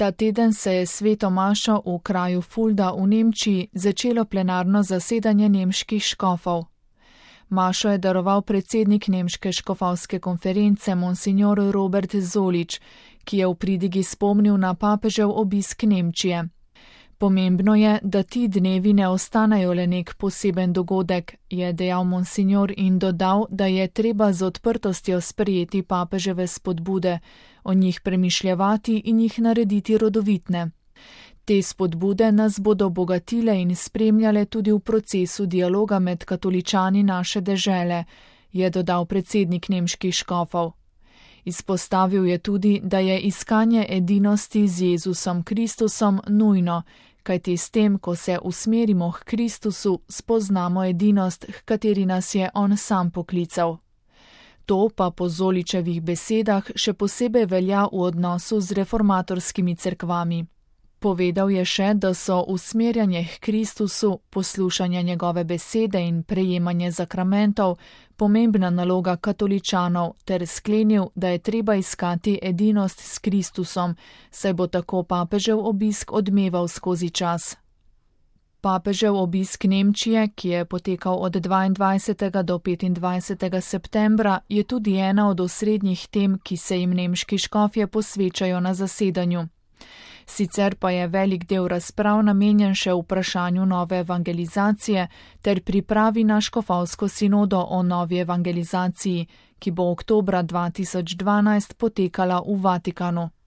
Ta teden se je sveto mašo v kraju Fulda v Nemčiji začelo plenarno zasedanje nemških škofov. Mašo je daroval predsednik nemške škofovske konference monsignor Robert Zolič, ki je v pridigi spomnil na papežev obisk Nemčije. Pomembno je, da ti dnevi ne ostanejo le nek poseben dogodek, je dejal monsignor in dodal, da je treba z odprtostjo sprejeti papeževe spodbude, o njih premišljevati in jih narediti rodovitne. Te spodbude nas bodo bogatile in spremljale tudi v procesu dialoga med katoličani naše dežele, je dodal predsednik nemških škofov. Izpostavil je tudi, da je iskanje edinosti z Jezusom Kristusom nujno, kajti s tem, ko se usmerimo k Kristusu, spoznamo edinost, h kateri nas je on sam poklical. To pa po Zoličevih besedah še posebej velja v odnosu z reformatorskimi cerkvami. Povedal je še, da so usmerjanje k Kristusu, poslušanje njegove besede in prejemanje zakramentov pomembna naloga katoličanov ter sklenil, da je treba iskati edinost s Kristusom, saj bo tako papežev obisk odmeval skozi čas. Papežev obisk Nemčije, ki je potekal od 22. do 25. septembra, je tudi ena od osrednjih tem, ki se jim nemški škofje posvečajo na zasedanju. Sicer pa je velik del razprav namenjen še vprašanju nove evangelizacije ter pripravi na škofovsko sinodo o novi evangelizaciji, ki bo oktobra 2012 potekala v Vatikanu.